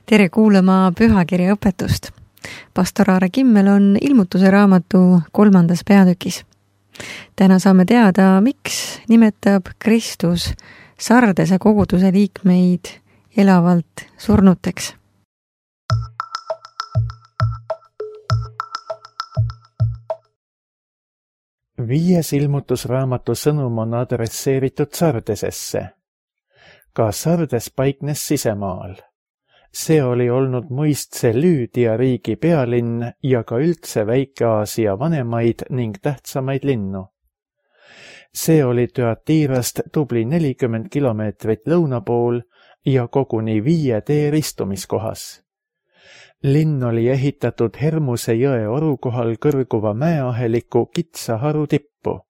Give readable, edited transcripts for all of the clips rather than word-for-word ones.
Tere kuulama pühakirja õpetust. Pastor Aare Kimmel on ilmutuse raamatu 3. peatükis. Täna saame teada, miks nimetab Kristus Sardese koguduse liikmeid elavalt surnuteks. Viies ilmutusraamatu sõnum on adresseeritud Sardesesse. Ka Sardes paiknes sisemaal. See oli olnud muistse Lüüdia riigi pealinn ja ka üldse Väike-Aasia vanemaid ning tähtsamaid linnu. See oli Thyatirast tubli 40 kilomeetrit lõuna pool ja koguni 5 tee ristumiskohas. Linn oli ehitatud Hermuse jõe oru kohal kõrguva mäeaheliku kitsa haru tippu.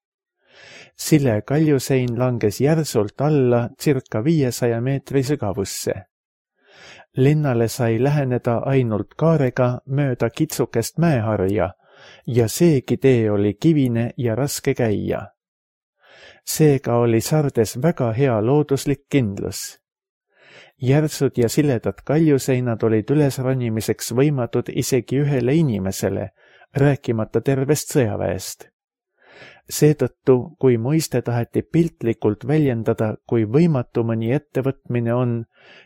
Sille kaljusein langes järsult alla circa 500 meetri sügavusse. Linnale sai läheneda ainult kaarega mööda kitsukest mäeharja ja seegi tee oli kivine ja raske käia. Seega oli Sardes väga hea looduslik kindlus. Järsud ja siledad kaljuseinad olid ülesronimiseks võimatud isegi ühele inimesele, rääkimata tervest sõjaväest. Seetõttu, kui mõiste taheti piltlikult väljendada, kui võimatu mõni ettevõtmine on,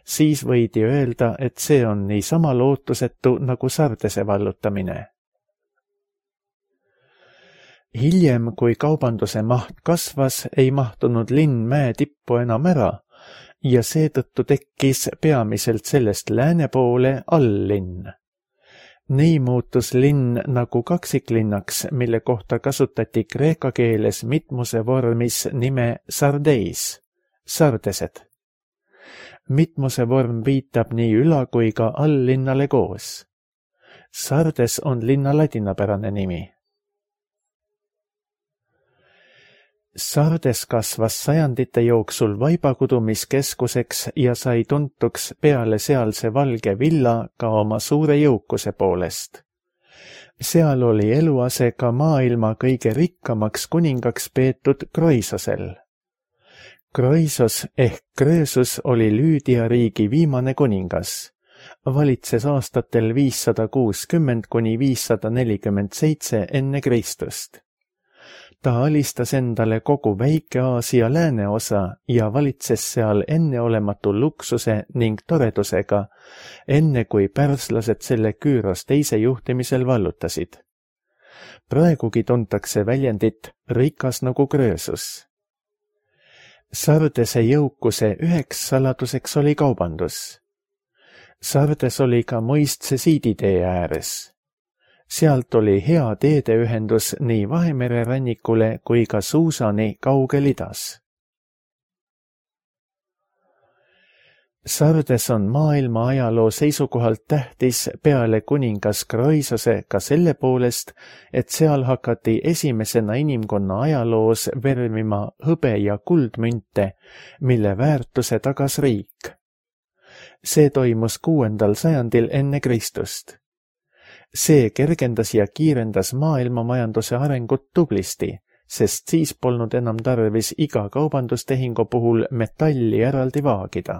siis võidi öelda, et see on niisama lootusetu nagu Sardese vallutamine. Hiljem, kui kaubanduse maht kasvas, ei mahtunud linn mäe tippu enam ära ja seetõttu tekkis peamiselt sellest lääne poole alllinn. Nii muutus linn nagu kaksiklinnaks, mille kohta kasutati kreeka keeles mitmuse vormis nime Sardeis, Sardesed. Mitmuse vorm viitab nii üla- kui ka alllinnale koos. Sardes on linna ladinapärane nimi. Sardes kasvas sajandite jooksul vaibakudumiskeskuseks ja sai tuntuks peale sealse valge villa ka oma suure jõukuse poolest. Seal oli eluase ka maailma kõige rikkamaks kuningaks peetud Kroisosel. Kroisos ehk Krösus oli Lüüdia riigi viimane kuningas. Valitses aastatel 560 kuni 547 enne Kristust. Ta alistas endale kogu Väike-Aasia lääneosa ja valitses seal enneolematu luksuse ning toredusega, enne kui pärslased selle Küüros teise juhtimisel vallutasid. Praegugi tuntakse väljendit rikas nagu Krösus. Sardese jõukuse üheks saladuseks oli kaubandus. Sardes oli ka mõistse siiditee ääres. Sealt oli hea teedeühendus nii Vahemere rannikule kui ka Suusani kaugel idas. Sardes on maailma ajaloo seisukohalt tähtis peale kuningas Kroisose ka selle poolest, et seal hakati esimesena inimkonna ajaloos vermima hõbe- ja kuldmünte, mille väärtuse tagas riik. See toimus 6. sajandil enne Kristust. See kergendas ja kiirendas maailmamajanduse arengut tublisti, sest siis polnud enam tarvis iga kaubandustehingu puhul metalli eraldi vaagida.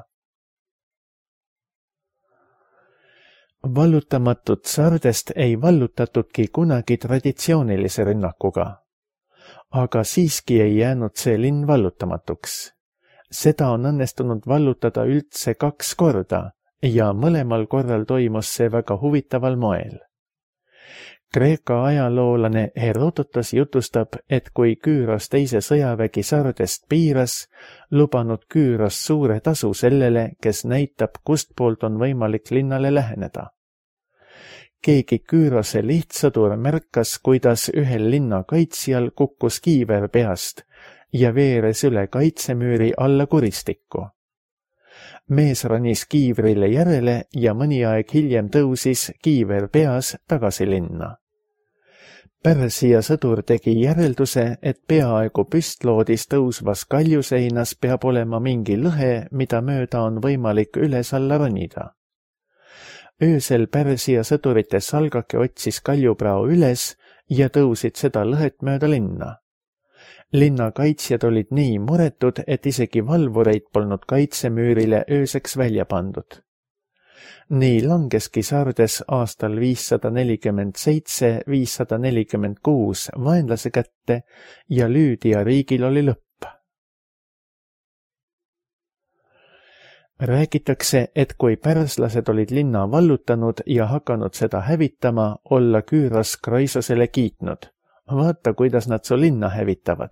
Vallutamatut Sardest ei vallutatudki kunagi traditsioonilise rünnakuga. Aga siiski ei jäänud see linn vallutamatuks. Seda on õnnestunud vallutada üldse 2 korda ja mõlemal korral toimus see väga huvitaval moel. Kreeka ajaloolane Herodotos jutustab, et kui Küüros teise sõjavägi Sardest piiras, lubanud Küüros suure tasu sellele, kes näitab, kustpoolt on võimalik linnale läheneda. Keegi Küürose lihtsõdur märkas, kuidas ühel linna kaitsjal kukkus kiiver peast ja veeres üle kaitsemüüri alla kuristikku. Mees ronis kiivrile järele ja mõni aeg hiljem tõusis kiiver peas tagasi linna. Pärsia sõdur tegi järelduse, et peaaegu püstloodis tõusvas kaljuseinas peab olema mingi lõhe, mida mööda on võimalik üles-alla ronida. Öösel Pärsia sõdurite salgake otsis kaljuprao üles ja tõusid seda lõhet mööda linna. Linna kaitsjad olid nii muretud, et isegi valvureid polnud kaitsemüürile ööseks välja pandud. Nii langeski Sardes aastal 547–546 vaenlase kätte ja Lüüdia riigil oli lõpp. Räägitakse, et kui pärslased olid linna vallutanud ja hakanud seda hävitama, olla Küüros Kroisosele kiitnud. Vaata, kuidas nad su linna hävitavad.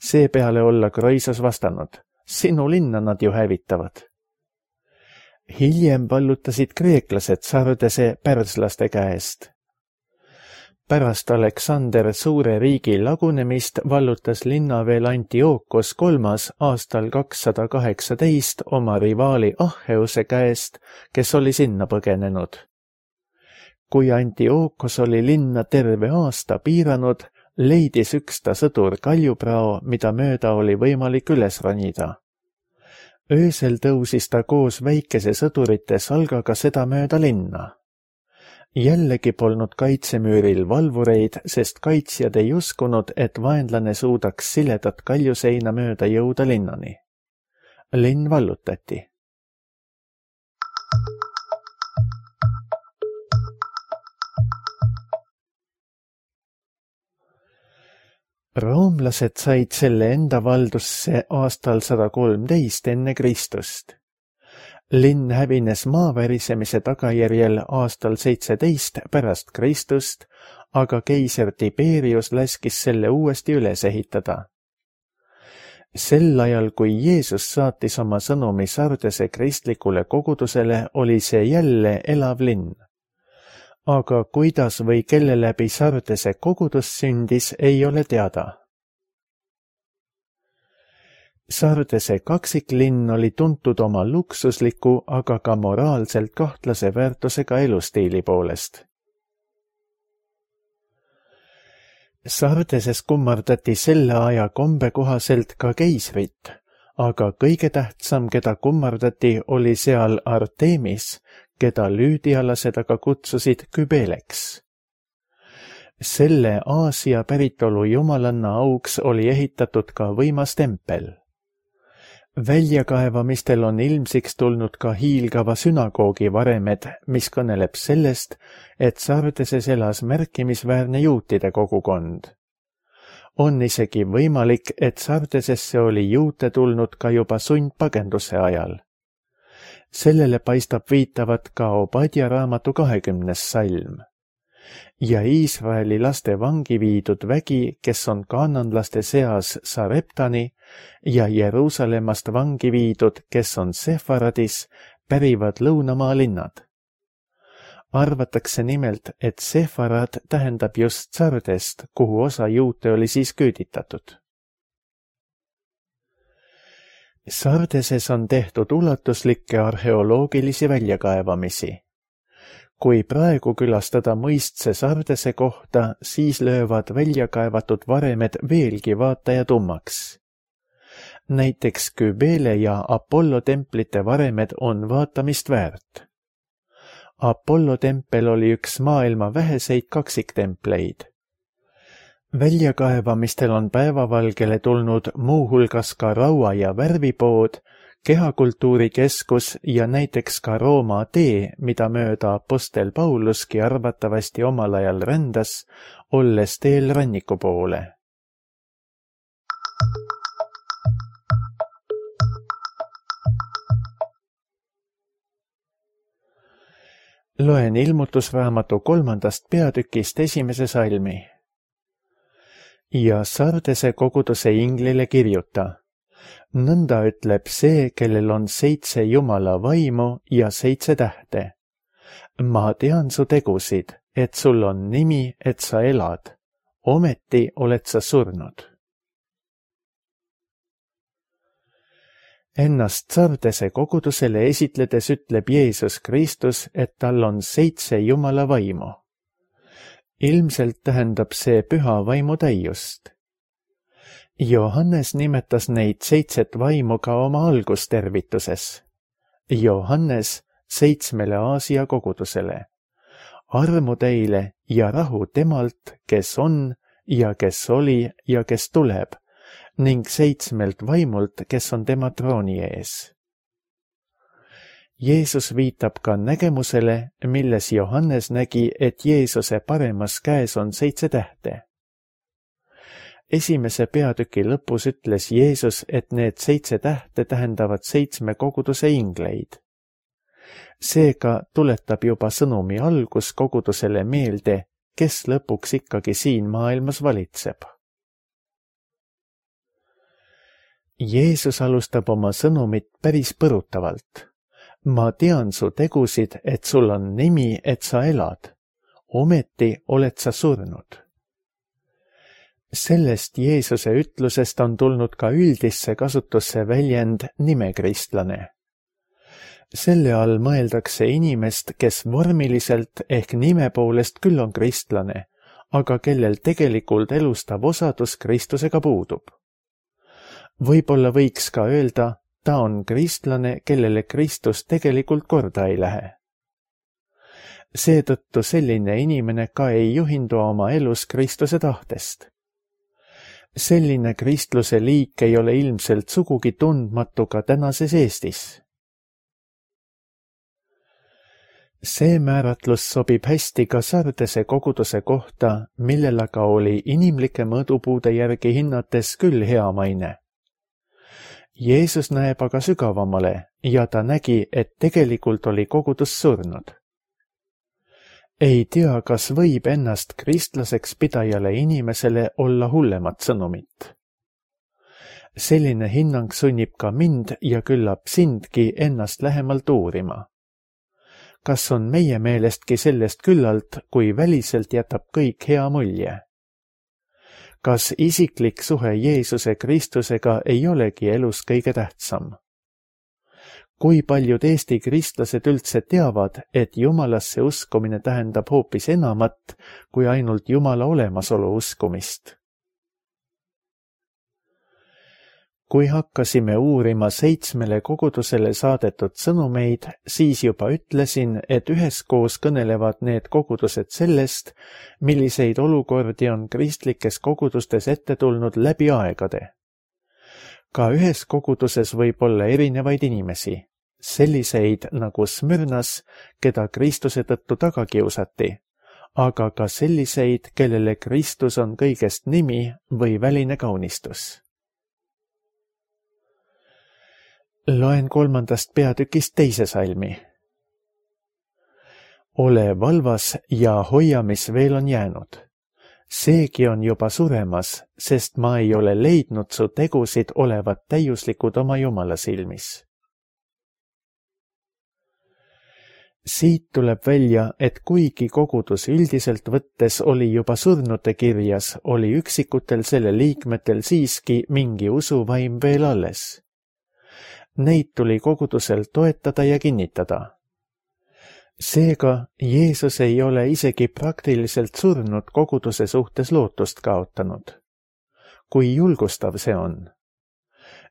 Seepeale olla Kroisos vastanud. Sinu linna nad ju hävitavad. Hiljem vallutasid kreeklased Sardese pärslaste käest. Pärast Aleksander suure riigi lagunemist vallutas linna veel Antiookos III aastal 218 oma rivaali Achheuse käest, kes oli sinna põgenenud. Kui Antiookos oli linna terve aasta piiranud, leidis üks ta sõdur kaljuprao, mida mööda oli võimalik üles ronida. Öösel tõusis ta koos väikese sõdurite salgaga seda mööda linna. Jällegi polnud kaitsemüüril valvureid, sest kaitsjad ei uskunud, et vaenlane suudaks siledat kaljuseina mööda jõuda linnani. Linn vallutati. Roomlased said selle enda valdusse aastal 113 enne Kristust. Linn hävines maavärisemise tagajärjel aastal 17 pärast Kristust, aga keiser Tiberius laskis selle uuesti üles ehitada. Sel ajal, kui Jeesus saatis oma sõnumi Sardese kristlikule kogudusele, oli see jälle elav linn. Aga kuidas või kelle läbi Sardese kogudus sündis, ei ole teada. Sardese kaksiklinn oli tuntud oma luksusliku, aga ka moraalselt kahtlase väärtusega elustiili poolest. Sardeses kummardati selle aja kombe kohaselt ka keisrit, aga kõige tähtsam, keda kummardati, oli seal Artemis, keda lüüdialased aga kutsusid Kybeleks. Selle Aasia päritolu jumalanna auks oli ehitatud ka võimas tempel. Väljakaevamistel on ilmsiks tulnud ka hiilgava sünagoogi varemed, mis kõneleb sellest, et Sardeses elas märkimisväärne juutide kogukond. On isegi võimalik, et Sardesesse oli juute tulnud ka juba sundpagenduse ajal. Sellele paistab viitavat ka Obadja raamatu 20. salm. Ja Iisraeli laste vangi viidud vägi, kes on kaananlaste seas Sareptani, ja Jeruusalemmast vangi viidud, kes on Sefaradis, pärivad lõunamaa linnad. Arvatakse nimelt, et Sefarad tähendab just Sardest, kuhu osa juute oli siis küüditatud. Sardeses on tehtud ulatuslikke arheoloogilisi väljakaevamisi. Kui praegu külastada mõistse Sardese kohta, siis löövad väljakaevatud varemed veelgi vaataja tummaks. Näiteks Kybele ja Apollo templite varemed on vaatamist väärt. Apollo tempel oli üks maailma väheseid kaksiktempleid. Väljakaevamistel on päevavalgele tulnud muuhulgas ka raua- ja värvipood, kehakultuurikeskus ja näiteks ka Rooma tee, mida mööda apostel Pauluski arvatavasti omal ajal rändas, olles teel ranniku poole. Loen ilmutusraamatu 3. peatükist 1. salmi. Ja Sardese koguduse inglile kirjuta. Nõnda ütleb see, kellel on 7 Jumala vaimu ja 7 tähte. Ma tean su tegusid, et sul on nimi, et sa elad. Ometi oled sa surnud. Ennast Sardese kogudusele esitledes ütleb Jeesus Kristus, et tal on 7 Jumala vaimu. Ilmselt tähendab see püha vaimu täiust. Johannes nimetas neid 7 vaimu ka oma algustervituses. Johannes 7 Aasia kogudusele. Armu teile ja rahu temalt, kes on ja kes oli ja kes tuleb, ning 7 vaimult, kes on tema trooni ees. Jeesus viitab ka nägemusele, milles Johannes nägi, et Jeesuse paremas käes on 7 tähte. Esimese peatüki lõpus ütles Jeesus, et need 7 tähte tähendavad 7 koguduse ingleid. Seega tuletab juba sõnumi algus kogudusele meelde, kes lõpuks ikkagi siin maailmas valitseb. Jeesus alustab oma sõnumit päris põrutavalt. Ma tean su tegusid, et sul on nimi, et sa elad. Ometi oled sa surnud. Sellest Jeesuse ütlusest on tulnud ka üldisse kasutusse väljend nimekristlane. Selle all mõeldakse inimest, kes vormiliselt ehk nime poolest küll on kristlane, aga kellel tegelikult elustav osadus Kristusega puudub. Võib-olla võiks ka öelda, ta on kristlane, kellele Kristus tegelikult korda ei lähe. Seetõttu selline inimene ka ei juhindu oma elus Kristuse tahtest. Selline kristluse liik ei ole ilmselt sugugi tundmatu ka tänases Eestis. See määratlus sobib hästi ka Sardese koguduse kohta, millel aga oli inimlike mõõdupuude järgi hinnates küll hea maine. Jeesus näeb aga sügavamale ja ta nägi, et tegelikult oli kogudus surnud. Ei tea, kas võib ennast kristlaseks pidajale inimesele olla hullemat sõnumit. Selline hinnang sunnib ka mind ja küllap sindki ennast lähemalt uurima. Kas on meie meelestki sellest küllalt, kui väliselt jätab kõik hea mulje? Kas isiklik suhe Jeesuse Kristusega ei olegi elus kõige tähtsam? Kui paljud Eesti kristlased üldse teavad, et Jumalasse uskumine tähendab hoopis enamat kui ainult Jumala olemasolu uskumist? Kui hakkasime uurima 7 kogudusele saadetud sõnumeid, siis juba ütlesin, et üheskoos kõnelevad need kogudused sellest, milliseid olukordi on kristlikes kogudustes ette tulnud läbi aegade. Ka ühes koguduses võib olla erinevaid inimesi, selliseid nagu Smyrnas, keda Kristuse tõttu taga kiusati, aga ka selliseid, kellele Kristus on kõigest nimi või väline kaunistus. Loen 3. peatükist 2. salmi. Ole valvas ja hoia, mis veel on jäänud. Seegi on juba suremas, sest ma ei ole leidnud su tegusid olevat täiuslikud oma Jumala silmis. Siit tuleb välja, et kuigi kogudus üldiselt võttes oli juba surnute kirjas, oli üksikutel selle liikmetel siiski mingi usuvaim veel alles. Neid tuli kogudusel toetada ja kinnitada. Seega Jeesus ei ole isegi praktiliselt surnud koguduse suhtes lootust kaotanud. Kui julgustav see on.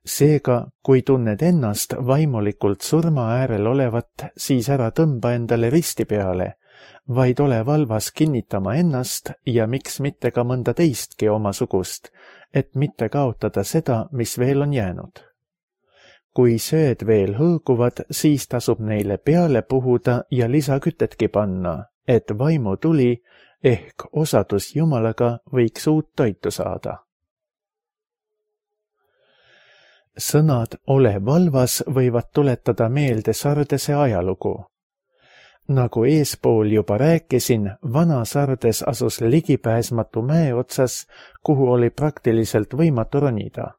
Seega, kui tunned ennast vaimulikult surma äärel olevat, siis ära tõmba endale risti peale, vaid ole valvas kinnitama ennast ja miks mitte ka mõnda teistki omasugust, et mitte kaotada seda, mis veel on jäänud. Kui sööd veel hõõguvad, siis tasub neile peale puhuda ja lisakütetki panna, et vaimutuli ehk osadus Jumalaga võiks uut toitu saada. Sõnad ole valvas võivad tuletada meelde Sardese ajalugu. Nagu eespool juba rääkisin, vana Sardes asus ligipääsmatu mäe otsas, kuhu oli praktiliselt võimatu ronida.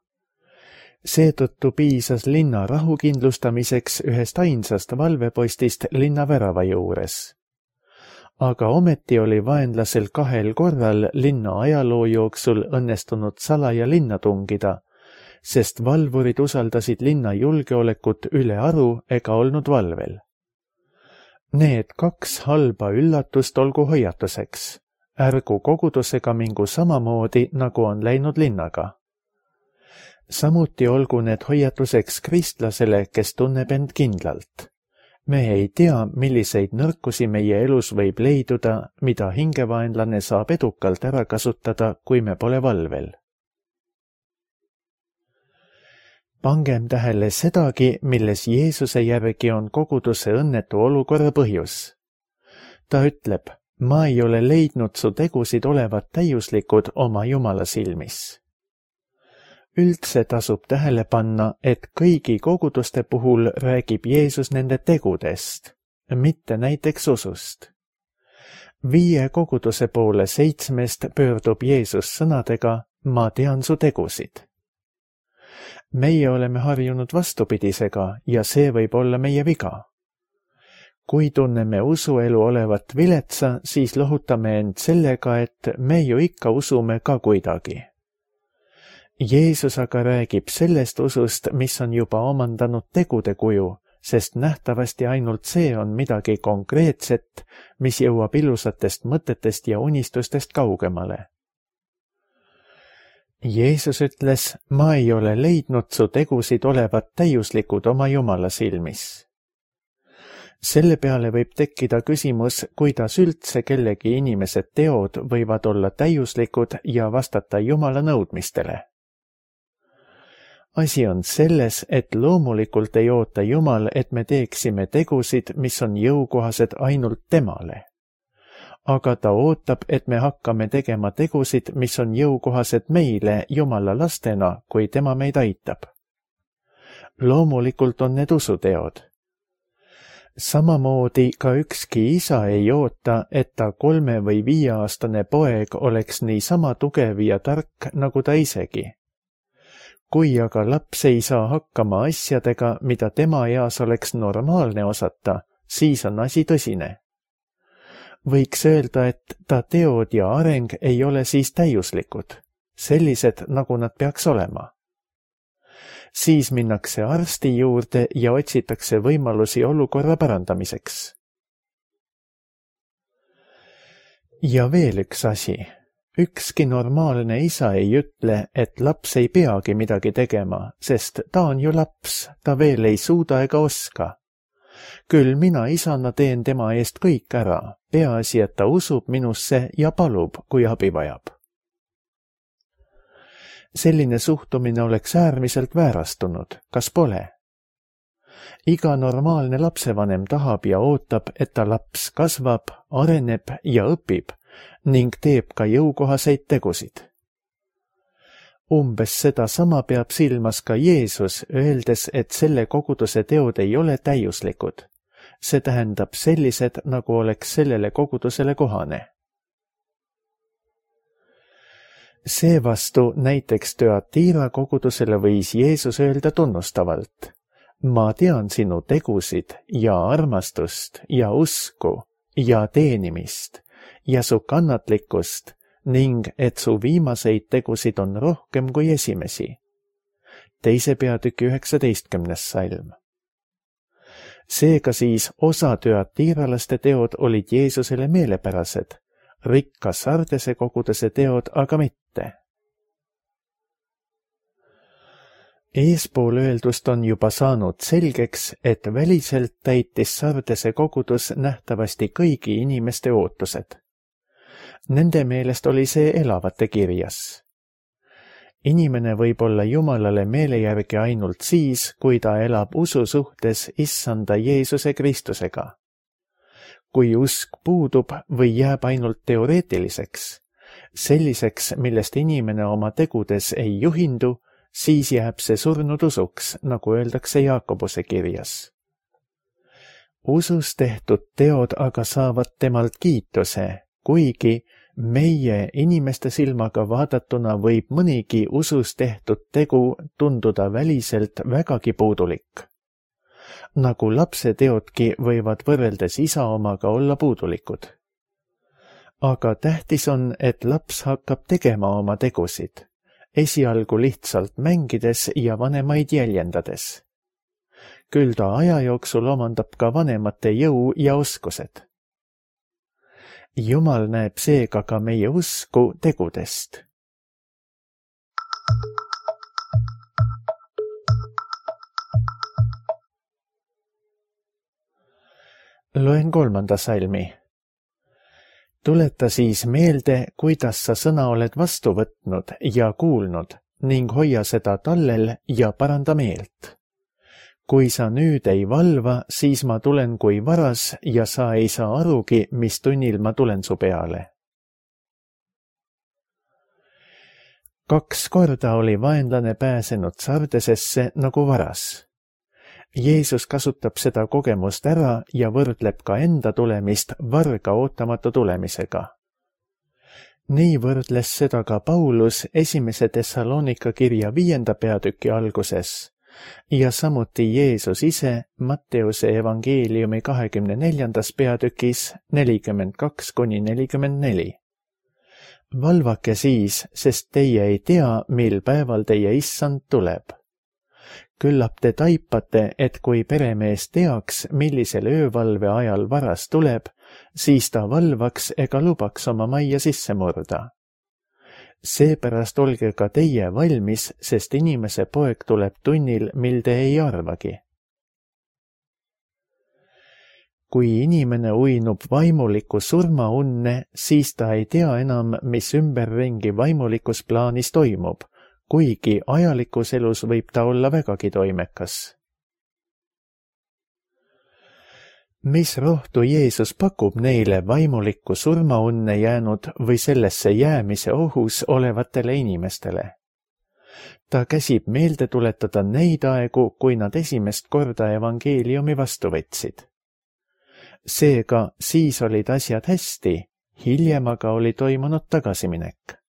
Seetõttu piisas linna rahu kindlustamiseks ühest ainsast valvepostist linna värava juures. Aga ometi oli vaenlasel 2 korral linna ajaloo jooksul õnnestunud salaja linna tungida, sest valvurid usaldasid linna julgeolekut üle aru ega olnud valvel. Need 2 halba üllatust olgu hoiatuseks. Ärgu kogudusega mingu samamoodi, nagu on läinud linnaga. Samuti olgu need hoiatuseks kristlasele, kes tunneb end kindlalt. Me ei tea, milliseid nõrkusi meie elus võib leiduda, mida hingevaenlane saab edukalt ära kasutada, kui me pole valvel. Pangem tähele sedagi, milles Jeesuse järgi on koguduse õnnetu olukorra põhjus. Ta ütleb, ma ei ole leidnud su tegusid olevat täiuslikud oma Jumala silmis. Üldse tasub tähele panna, et kõigi koguduste puhul räägib Jeesus nende tegudest, mitte näiteks usust. 5 koguduse poole 7 pöördub Jeesus sõnadega, ma tean su tegusid. Meie oleme harjunud vastupidisega ja see võib olla meie viga. Kui tunneme usuelu olevat viletsa, siis lohutame end sellega, et me ju ikka usume ka kuidagi. Jeesus aga räägib sellest usust, mis on juba omandanud tegude kuju, sest nähtavasti ainult see on midagi konkreetset, mis jõuab ilusatest mõtetest ja unistustest kaugemale. Jeesus ütles, ma ei ole leidnud su tegusid olevat täiuslikud oma Jumala silmis. Selle peale võib tekkida küsimus, kuidas üldse kellegi inimese teod võivad olla täiuslikud ja vastata Jumala nõudmistele. Asi on selles, et loomulikult ei oota Jumal, et me teeksime tegusid, mis on jõukohased ainult temale. Aga ta ootab, et me hakkame tegema tegusid, mis on jõukohased meile Jumala lastena, kui tema meid aitab. Loomulikult on need usuteod. Samamoodi ka ükski isa ei oota, et ta 3- või 5-aastane poeg oleks niisama tugev ja tark, nagu ta isegi. Kui aga laps ei saa hakkama asjadega, mida tema eas oleks normaalne osata, siis on asi tõsine. Võiks öelda, et ta teod ja areng ei ole siis täiuslikud, sellised, nagu nad peaks olema. Siis minnakse arsti juurde ja otsitakse võimalusi olukorra parandamiseks. Ja veel üks asi. Ükski normaalne isa ei ütle, et laps ei peagi midagi tegema, sest ta on ju laps, ta veel ei suuda ega oska. Küll mina isana teen tema eest kõik ära, peaasi, et ta usub minusse ja palub, kui abi vajab. Selline suhtumine oleks äärmiselt väärastunud, kas pole? Iga normaalne lapsevanem tahab ja ootab, et ta laps kasvab, areneb ja õpib ning teeb ka jõukohaseid tegusid. Umbes sedasama peab silmas ka Jeesus, öeldes, et selle koguduse teod ei ole täiuslikud. See tähendab sellised, nagu oleks sellele kogudusele kohane. Seevastu näiteks Thyatira kogudusele võis Jeesus öelda tunnustavalt, ma tean sinu tegusid ja armastust ja usku ja teenimist ja su kannatlikkust ning et su viimaseid tegusid on rohkem kui esimesi. 2. peatüki 19. salm. Seega siis osa thyatiralaste teod olid Jeesusele meelepärased, rikka Sardese koguduse teod aga mitte. Eespool öeldust on juba saanud selgeks, et väliselt täitis Sardese kogudus nähtavasti kõigi inimeste ootused. Nende meelest oli see elavate kirjas. Inimene võib olla Jumalale meele järgi ainult siis, kui ta elab usu suhtes Issanda Jeesuse Kristusega. Kui usk puudub või jääb ainult teoreetiliseks, selliseks, millest inimene oma tegudes ei juhindu, siis jääb see surnud usuks, nagu öeldakse Jaakobuse kirjas. Usus tehtud teod aga saavad temalt kiituse, kuigi meie inimeste silmaga vaadatuna võib mõnigi usus tehtud tegu tunduda väliselt vägagi puudulik. Nagu lapse teodki võivad võrreldes isa omaga olla puudulikud. Aga tähtis on, et laps hakkab tegema oma tegusid, esialgu lihtsalt mängides ja vanemaid jäljendades. Küll ta aja jooksul omandab ka vanemate jõu ja oskused. Jumal näeb seega ka meie usku tegudest. Loen 3. salmi. Tuleta siis meelde, kuidas sa sõna oled vastu võtnud ja kuulnud ning hoia seda tallel ja paranda meelt. Kui sa nüüd ei valva, siis ma tulen kui varas ja sa ei saa arugi, mis tunnil ma tulen su peale. 2 korda oli vaenlane pääsenud Sardesesse nagu varas. Jeesus kasutab seda kogemust ära ja võrdleb ka enda tulemist varga ootamatu tulemisega. Nii võrdles seda ka Paulus 1. Thessalonika kirja 5. peatüki alguses ja samuti Jeesus ise Matteuse evangeeliumi 24. peatükis 42-44. Valvake siis, sest teie ei tea, mil päeval teie issand tuleb. Küllap te taipate, et kui peremees teaks, millisel öövalve ajal varas tuleb, siis ta valvaks ega lubaks oma majja sisse murda. Seepärast olge ka teie valmis, sest inimese poeg tuleb tunnil, mil te ei arvagi. Kui inimene uinub vaimuliku surmaunne, siis ta ei tea enam, mis ümberringi vaimulikus plaanis toimub, kuigi ajalikus elus võib ta olla vägagi toimekas. Mis rohtu Jeesus pakub neile vaimulikku surmaunne jäänud või sellesse jäämise ohus olevatele inimestele? Ta käsib meelde tuletada neid aegu, kui nad esimest korda evangeeliumi vastu võtsid. Seega siis olid asjad hästi, hiljem aga oli toimunud tagasiminek.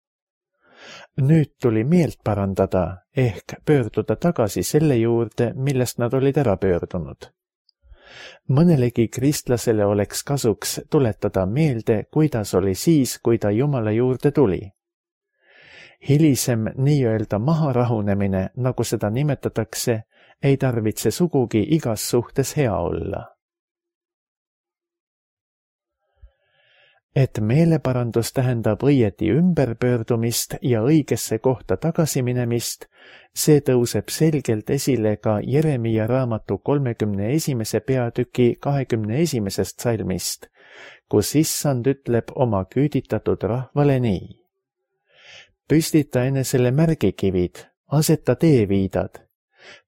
Nüüd tuli meelt parandada ehk pöörduda tagasi selle juurde, millest nad olid ära pöördunud. Mõnelegi kristlasele oleks kasuks tuletada meelde, kuidas oli siis, kui ta Jumala juurde tuli. Hilisem nii-öelda maharahunemine, nagu seda nimetatakse, ei tarvitse sugugi igas suhtes hea olla. Et meeleparandus tähendab õieti ümberpöördumist ja õigesse kohta tagasiminemist, see tõuseb selgelt esile ka Jeremia raamatu 31. peatüki 21. salmist, kus issand ütleb oma küüditatud rahvale nii. Püstita enesele märgikivid, aseta teeviidad,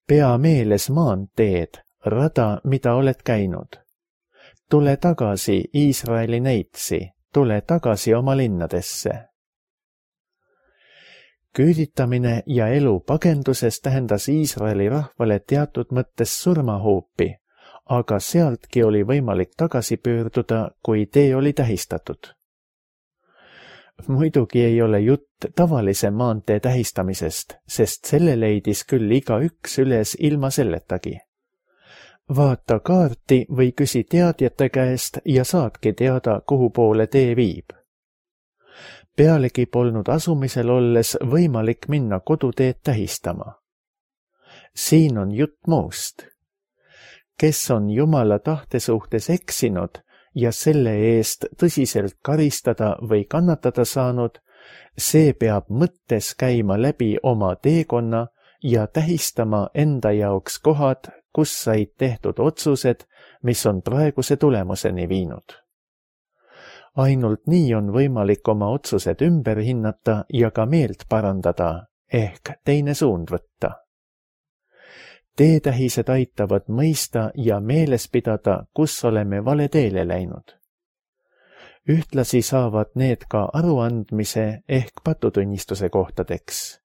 pea meeles maanteed, rada, mida oled käinud. Tule tagasi, Iisraeli neitsi, tule tagasi oma linnadesse. Küüditamine ja elu pagenduses tähendas Iisraeli rahvale teatud mõttes surmahuupi, aga sealtki oli võimalik tagasi pöörduda, kui tee oli tähistatud. Muidugi ei ole jutt tavalise maantee tähistamisest, sest selle leidis küll igaüks üles ilma selletagi. Vaata kaarti või küsi teadjate käest ja saadki teada, kuhu poole tee viib. Pealegi polnud asumisel olles võimalik minna koduteed tähistama. Siin on jutt muust. Kes on Jumala tahte suhtes eksinud ja selle eest tõsiselt karistada või kannatada saanud, see peab mõttes käima läbi oma teekonna ja tähistama enda jaoks kohad, kus said tehtud otsused, mis on praeguse tulemuseni viinud. Ainult nii on võimalik oma otsused ümber hinnata ja ka meelt parandada, ehk teine suund võtta. Teetähised aitavad mõista ja meeles pidada, kus oleme vale teele läinud. Ühtlasi saavad need ka aruandmise ehk patutunnistuse kohtadeks.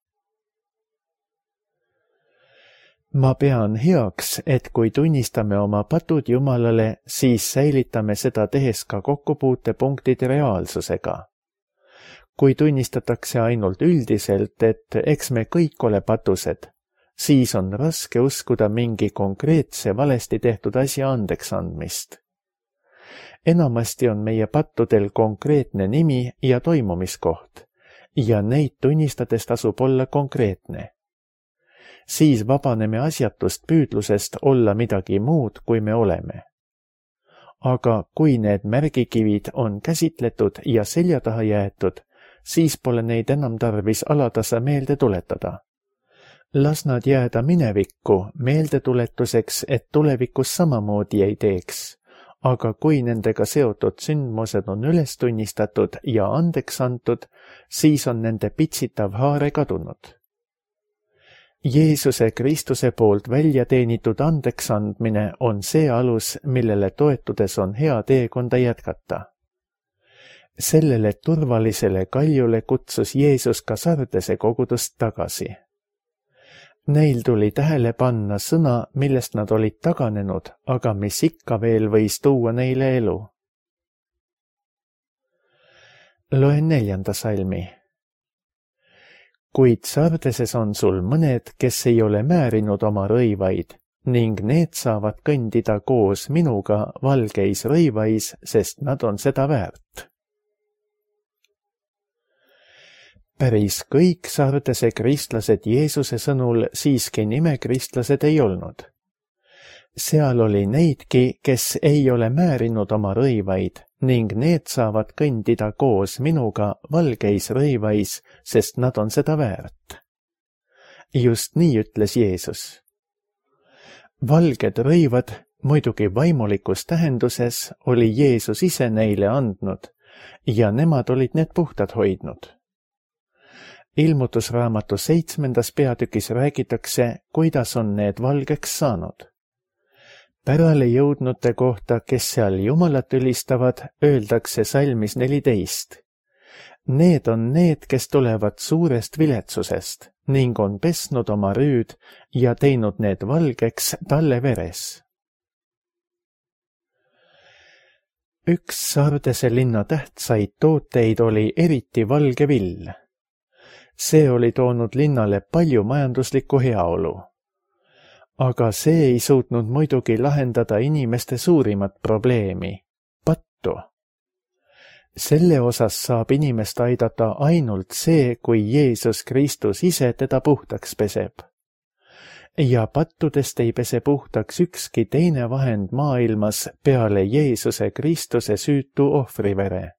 Ma pean heaks, et kui tunnistame oma patud Jumalale, siis säilitame seda tehes ka kokkupuutepunktid reaalsusega. Kui tunnistatakse ainult üldiselt, et eks me kõik ole patused, siis on raske uskuda mingi konkreetse valesti tehtud asja andeks andmist. Enamasti on meie pattudel konkreetne nimi ja toimumiskoht ja neid tunnistades tasub olla konkreetne. Siis vabaneme asjatust püüdlusest olla midagi muud, kui me oleme. Aga kui need märgikivid on käsitletud ja selja taha jäetud, siis pole neid enam tarvis alatasa meelde tuletada. Las nad jääda minevikku meeldetuletuseks, et tulevikus samamoodi ei teeks, aga kui nendega seotud sündmused on üles tunnistatud ja andeks antud, siis on nende pitsitav haare kadunud. Jeesuse Kristuse poolt välja teenitud andeksandmine on see alus, millele toetudes on hea teekonda jätkata. Sellele turvalisele kaljule kutsus Jeesus ka Sardese kogudust tagasi. Neil tuli tähele panna sõna, millest nad olid taganenud, aga mis ikka veel võis tuua neile elu. Loen 4. salmi. Kuid Sardeses on sul mõned, kes ei ole määrinud oma rõivaid, ning need saavad kõndida koos minuga valgeis rõivais, sest nad on seda väärt. Päris kõik Sardese kristlased Jeesuse sõnul siiski nimekristlased ei olnud. Seal oli neidki, kes ei ole määrinud oma rõivaid, ning need saavad kõndida koos minuga valgeis rõivais, sest nad on seda väärt. Just nii ütles Jeesus. Valged rõivad, muidugi vaimulikus tähenduses, oli Jeesus ise neile andnud ja nemad olid need puhtad hoidnud. Ilmutusraamatu 7. peatükis räägitakse, kuidas on need valgeks saanud. Pärale jõudnute kohta, kes seal Jumalat ülistavad, öeldakse salmis 14. Need on need, kes tulevad suurest viletsusest ning on pesnud oma rüüd ja teinud need valgeks talle veres. Üks Sardese linna tähtsaid tooteid oli eriti valge vill. See oli toonud linnale palju majanduslikku heaolu. Aga see ei suutnud muidugi lahendada inimeste suurimat probleemi, pattu. Selle osas saab inimest aidata ainult see, kui Jeesus Kristus ise teda puhtaks peseb. Ja pattudest ei pese puhtaks ükski teine vahend maailmas peale Jeesuse Kristuse süütu ohvrivere.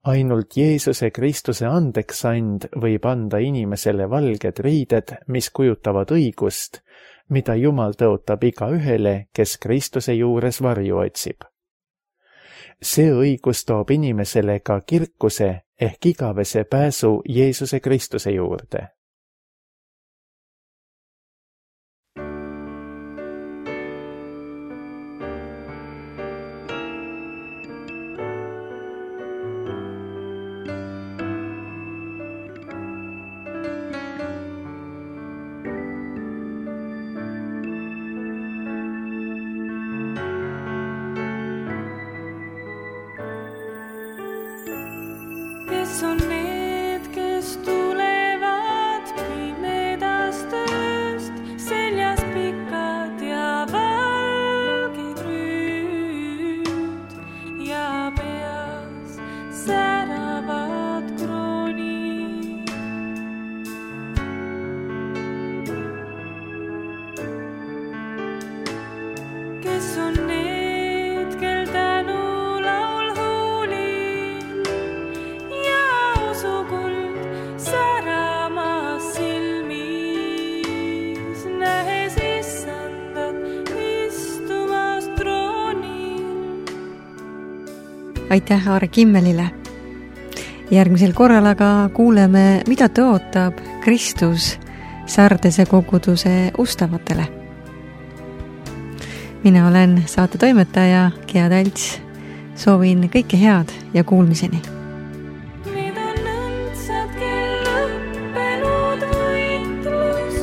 Ainult Jeesuse Kristuse andeksand võib anda inimesele valged riided, mis kujutavad õigust, mida Jumal tõotab igaühele, kes Kristuse juures varju otsib. See õigus toob inimesele ka kirkuse ehk igavese pääsu Jeesuse Kristuse juurde. Kes on need, kes tulevad pimedast ööst, seljas pikad ja valged rüüd ja peas säravad kroonid. Kes on need, kel tänu laul huulil ja usukuld säramas silmis, nähes issandat istumas troonil. Aitäh Aare Kimmelile! Järgmisel korral aga kuuleme, mida tõotab Kristus Sardese koguduse ustavatele. Mina olen saate toimetaja Gea Talts. Soovin kõike head ja kuulmiseni. Need on õndsad, kel lõppenud võitlus,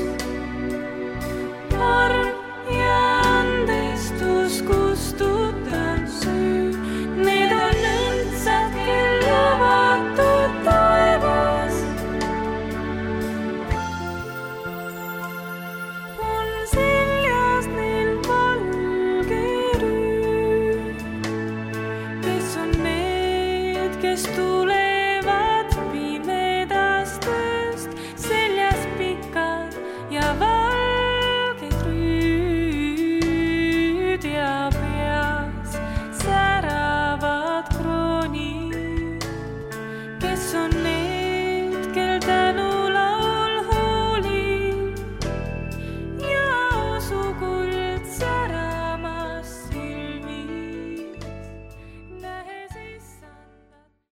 arm ja andestus kustutab süü. Need on õndsad, kel avatud taevas on seljas neil valge rüü. Kes on need, kes tulevad